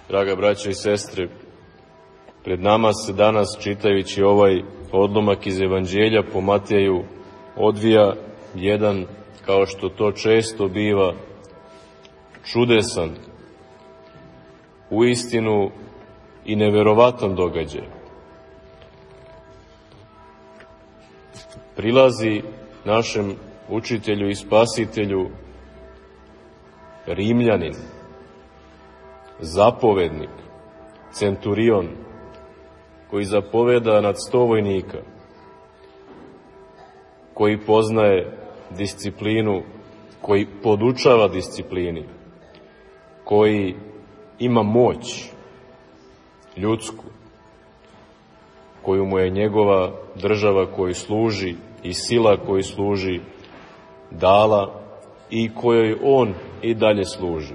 Draga braćo i sestre, pred nama se danas, čitajući ovaj odlomak iz Evanđelja po Mateju, odvija jedan, kao što to često biva, čudesan, uistinu i neverovatan događaj. Prilazi našem učitelju i spasitelju Rimljanin, zapovednik, centurion, koji zapoveda nad 100 vojnika, koji poznaje disciplinu, koji podučava disciplini, koji ima moć ljudsku, koju mu je njegova država koju služi i sila koju služi dala i kojoj on i dalje služi.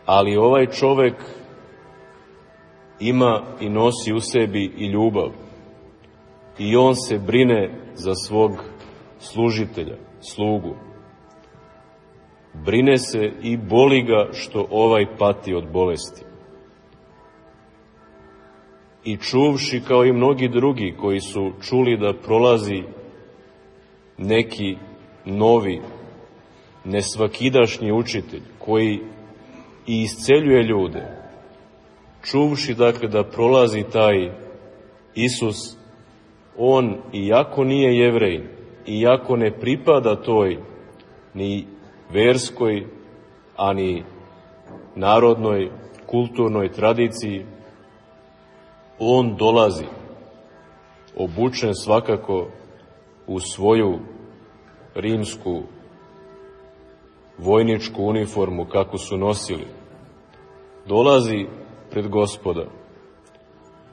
Ali ovaj čovek ima i nosi u sebi i ljubav i on se brine za svog služitelja, slugu. Brine se i boli ga što ovaj pati od bolesti. I čuvši kao i mnogi drugi koji su čuli da prolazi neki novi, nesvakidašnji učitelj koji i isceljuje ljude, čuvši dakle da prolazi taj Isus, on iako nije Jevrejin, iako ne pripada toj ni verskoj, ani narodnoj, kulturnoj tradiciji, on dolazi, obučen svakako u svoju rimsku vojničku uniformu kako su nosili. Dolazi pred Gospoda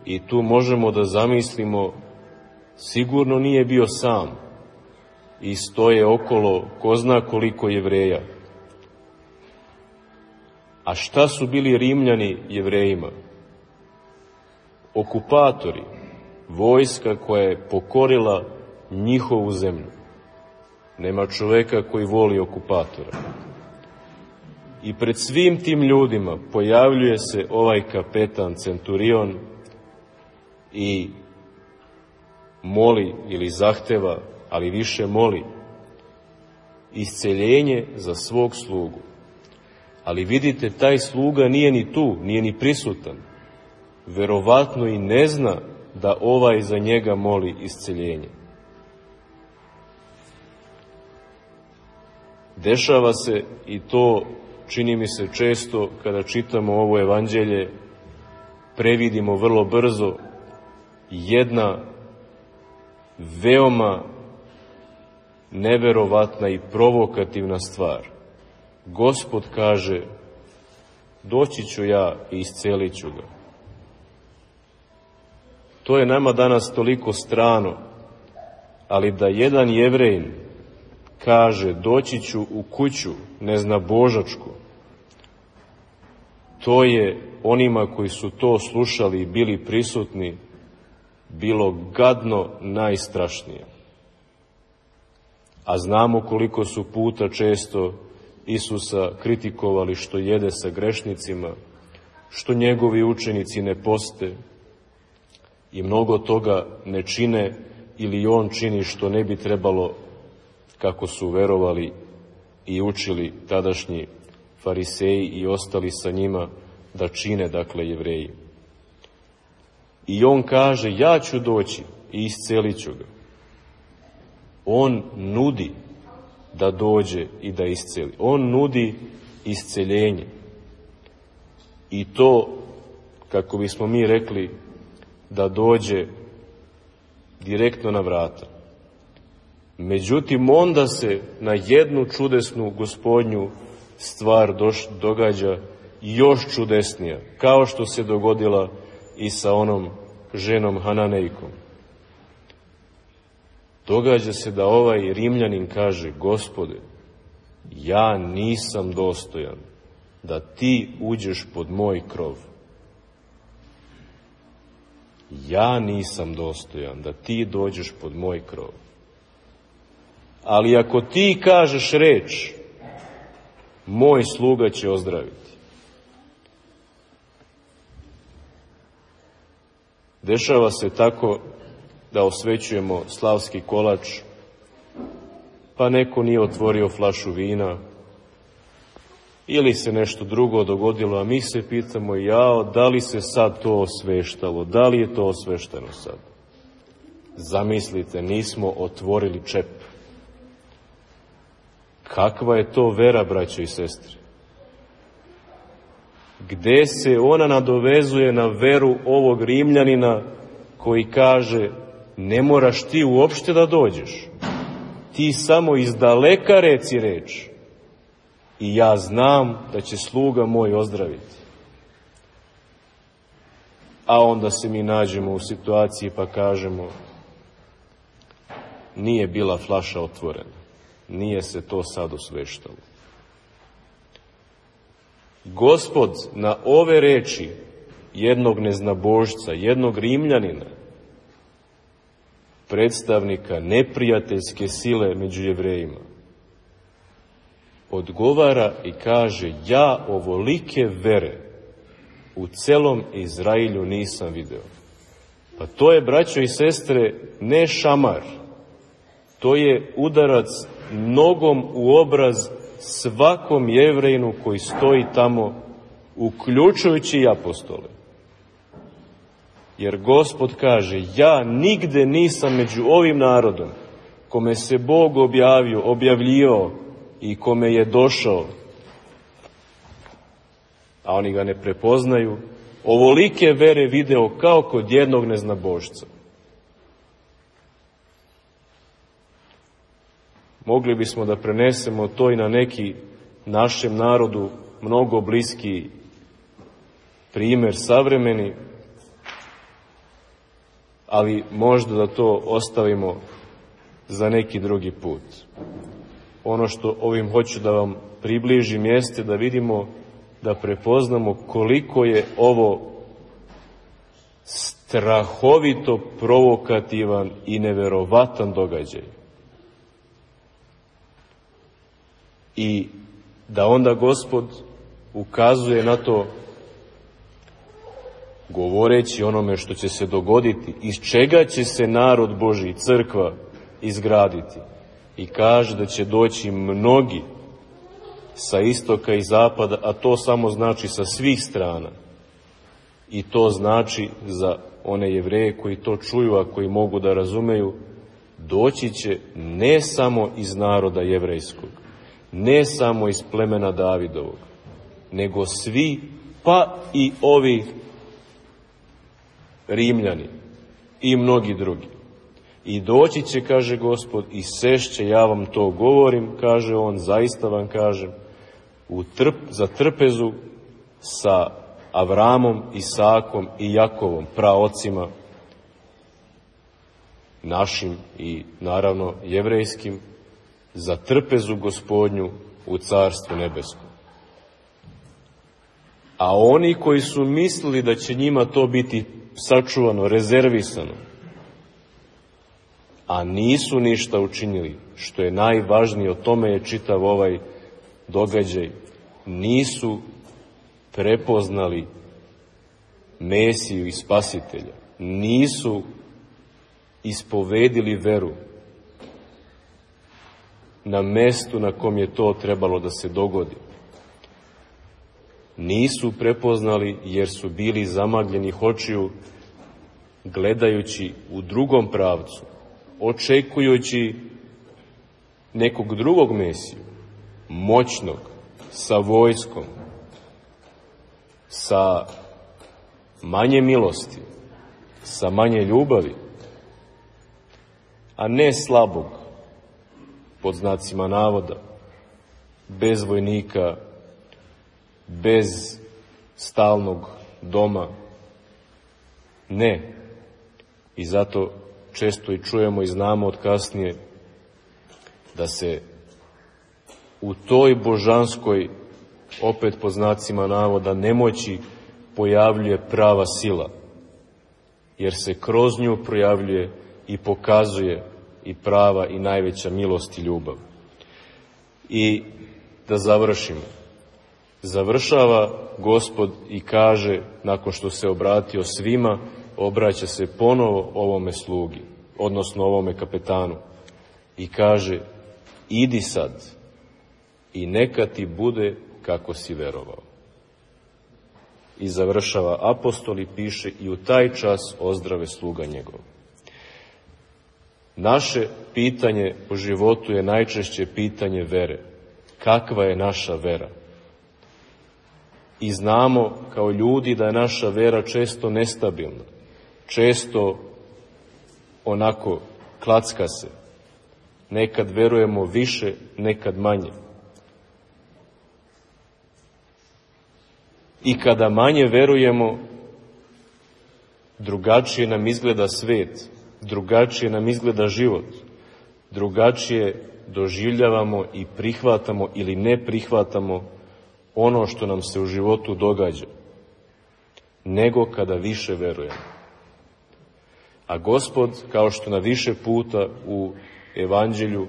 i tu možemo da zamislimo, sigurno nije bio sam i stoje okolo ko zna koliko Jevreja. A šta su bili Rimljani Jevrejima? Okupatori, vojska koja je pokorila njihovu zemlju. Nema čoveka koji voli okupatora. I pred svim tim ljudima pojavljuje se ovaj kapetan, centurion, i moli ili zahteva, ali više moli, isceljenje za svog slugu. Ali vidite, taj sluga nije ni tu, nije ni prisutan. Verovatno i ne zna da ovaj za njega moli isceljenje. Dešava se, i to čini mi se često kada čitamo ovo evanđelje, previdimo vrlo brzo, jedna veoma neverovatna i provokativna stvar. Gospod kaže, doći ću ja i iscelit ću ga. To je nama danas toliko strano, ali da jedan Jevrejin kaže, doći ću u kuću neznabožačku, to je onima koji su to slušali i bili prisutni bilo gadno najstrašnije. A znamo koliko su puta često Isusa kritikovali što jede sa grešnicima, što njegovi učenici ne poste i mnogo toga ne čine ili on čini što ne bi trebalo, kako su verovali i učili tadašnji fariseji i ostali sa njima da čine, dakle, Jevreji. I on kaže, ja ću doći i iscelit ću ga. On nudi da dođe i da isceli. On nudi isceljenje. I to, kako bismo mi rekli, da dođe direktno na vrata. Međutim, onda se na jednu čudesnu Gospodnju stvar događa još čudesnija, kao što se dogodila i sa onom ženom Hananejkom. Događa se da ovaj Rimljanin kaže, Gospode, ja nisam dostojan da ti uđeš pod moj krov. Ja nisam dostojan da ti dođeš pod moj krov. Ali ako ti kažeš reč, moj sluga će ozdraviti. Dešava se tako da osvećujemo slavski kolač, pa neko nije otvorio flašu vina, ili se nešto drugo dogodilo, a mi se pitamo, jao, da li se sad to osveštalo, da li je to osvešteno sad? Zamislite, nismo otvorili čep. Kakva je to vera, braćo i sestre? Gde se ona nadovezuje na veru ovog Rimljanina koji kaže, ne moraš ti uopšte da dođeš, ti samo iz daleka reci reč i ja znam da će sluga moj ozdraviti. A onda se mi nađemo u situaciji pa kažemo, nije bila flaša otvorena, nije se to sad osveštalo. Gospod na ove reči jednog neznabožca, jednog Rimljanina, predstavnika neprijateljske sile među Jevrejima, odgovara i kaže, ja ovolike vere u celom Izrailju nisam video. Pa to je, braćo i sestre, ne šamar, to je udarac nogom u obraz svakom Jevrejinu koji stoji tamo, uključujući i apostole. Jer Gospod kaže, ja nigde nisam među ovim narodom, kome se Bog objavljivao i kome je došao, a oni ga ne prepoznaju, ovolike vere video kao kod jednog neznabožca. Mogli bismo da prenesemo to i na neki našem narodu mnogo bliski primer savremeni, ali možda da to ostavimo za neki drugi put. Ono što ovim hoću da vam približim jeste da vidimo, da prepoznamo koliko je ovo strahovito provokativan i neverovatan događaj. I da onda Gospod ukazuje na to govoreći onome što će se dogoditi, iz čega će se narod Božji, crkva, izgraditi. I kaže da će doći mnogi sa istoka i zapada, a to samo znači sa svih strana. I to znači za one Jevreje koji to čuju, a koji mogu da razumeju, doći će ne samo iz naroda jevrejskog, ne samo iz plemena Davidovog, nego svi, pa i ovi Rimljani i mnogi drugi. I doći će, kaže Gospod, i sešće, ja vam to govorim, kaže on, zaista vam kažem, za trpezu sa Avramom, Isakom i Jakovom, praocima našim i naravno jevrejskim, za trpezu Gospodnju u Carstvu nebeskom. A oni koji su mislili da će njima to biti sačuvano, rezervisano, a nisu ništa učinili, što je najvažnije, o tome je čitav ovaj događaj, nisu prepoznali Mesiju i Spasitelja, nisu ispovedili veru na mestu na kom je to trebalo da se dogodi. Nisu prepoznali jer su bili zamagljenih očiju, gledajući u drugom pravcu, očekujući nekog drugog Mesiju, moćnog, sa vojskom, sa manje milosti, sa manje ljubavi, a ne slabog, pod znacima navoda, bez vojnika, bez stalnog doma. Ne. I zato često i čujemo i znamo od kasnije da se u toj božanskoj, opet pod znacima navoda, nemoći pojavljuje prava sila, jer se kroz nju projavljuje i pokazuje i prava i najveća milost i ljubav. I da završimo. Završava Gospod i kaže, nakon što se obratio svima, obraća se ponovo ovome slugi, odnosno ovome kapetanu, i kaže: idi sad i neka ti bude kako si verovao. I završava apostol i piše: i u taj čas ozdrave sluga njegov. Naše pitanje u životu je najčešće pitanje vere. Kakva je naša vera? I znamo kao ljudi da je naša vera često nestabilna, često onako klacka se. Nekad verujemo više, nekad manje. I kada manje verujemo, drugačije nam izgleda svet, drugačije nam izgleda život, drugačije doživljavamo i prihvatamo ili ne prihvatamo ono što nam se u životu događa, nego kada više verujemo. A Gospod, kao što na više puta u Evanđelju,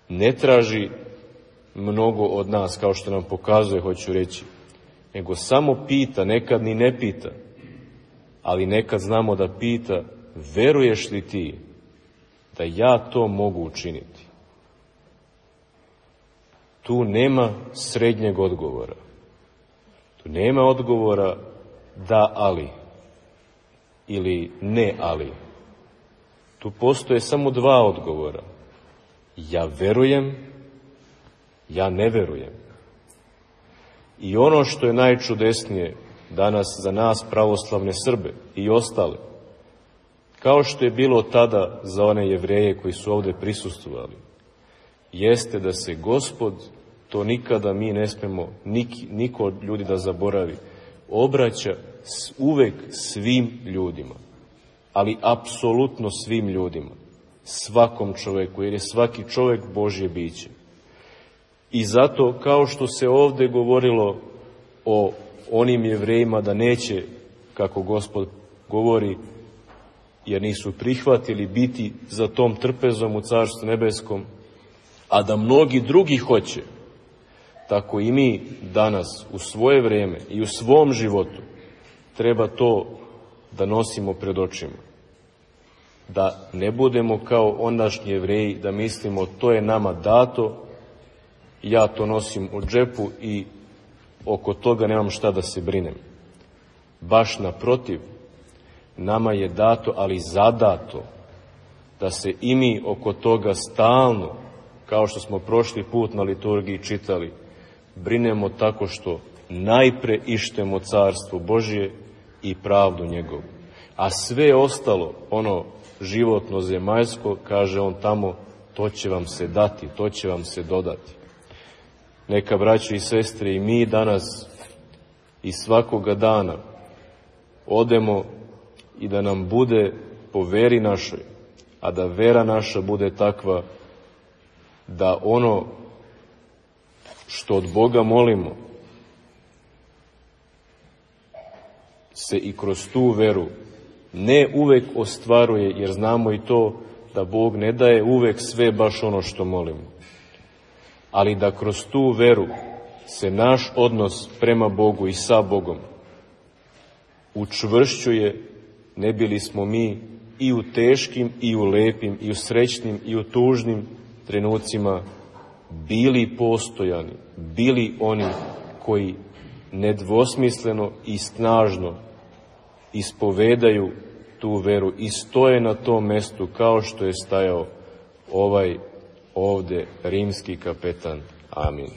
ne traži mnogo od nas, kao što nam pokazuje, hoću reći, nego samo pita, nekad ni ne pita, ali nekad znamo da pita: veruješ li ti da ja to mogu učiniti? Tu nema srednjeg odgovora. Tu nema odgovora da, ali ili ne, ali. Tu postoje samo dva odgovora: ja verujem, ja ne verujem. I ono što je najčudesnije danas za nas pravoslavne Srbe i ostale, kao što je bilo tada za one Jevreje koji su ovde prisustvovali, jeste da se Gospod, to nikada mi ne smemo, niko od ljudi da zaboravi, obraća uvek svim ljudima, ali apsolutno svim ljudima, svakom čoveku, jer je svaki čovek Božje biće. I zato, kao što se ovde govorilo o onim Jevrejima da neće, kako Gospod govori, jer nisu prihvatili biti za tom trpezom u Carstvu nebeskom, a da mnogi drugi hoće, tako i mi danas u svoje vreme i u svom životu treba to da nosimo pred očima. Da ne budemo kao ondašnji Jevreji, da mislimo to je nama dato, ja to nosim u džepu i oko toga nemam šta da se brinem. Baš naprotiv, nama je dato, ali zadato, da se i mi oko toga stalno, kao što smo prošli put na liturgiji čitali, brinemo tako što najpre ištemo Carstvo Božje i pravdu njegovu. A sve ostalo, ono životno zemaljsko, kaže on tamo, to će vam se dati, to će vam se dodati. Neka, braćo i sestre, i mi danas i svakoga dana odemo i da nam bude po veri našoj, a da vera naša bude takva da ono što od Boga molimo se i kroz tu veru ne uvek ostvaruje, jer znamo i to da Bog ne daje uvek sve baš ono što molimo, ali da kroz tu veru se naš odnos prema Bogu i sa Bogom učvršćuje, ne bili smo mi i u teškim i u lepim i u srećnim i u tužnim trenucima bili postojani, bili oni koji nedvosmisleno i snažno ispovedaju tu veru i stoje na tom mestu kao što je stajao ovaj ovde rimski kapetan. Amin.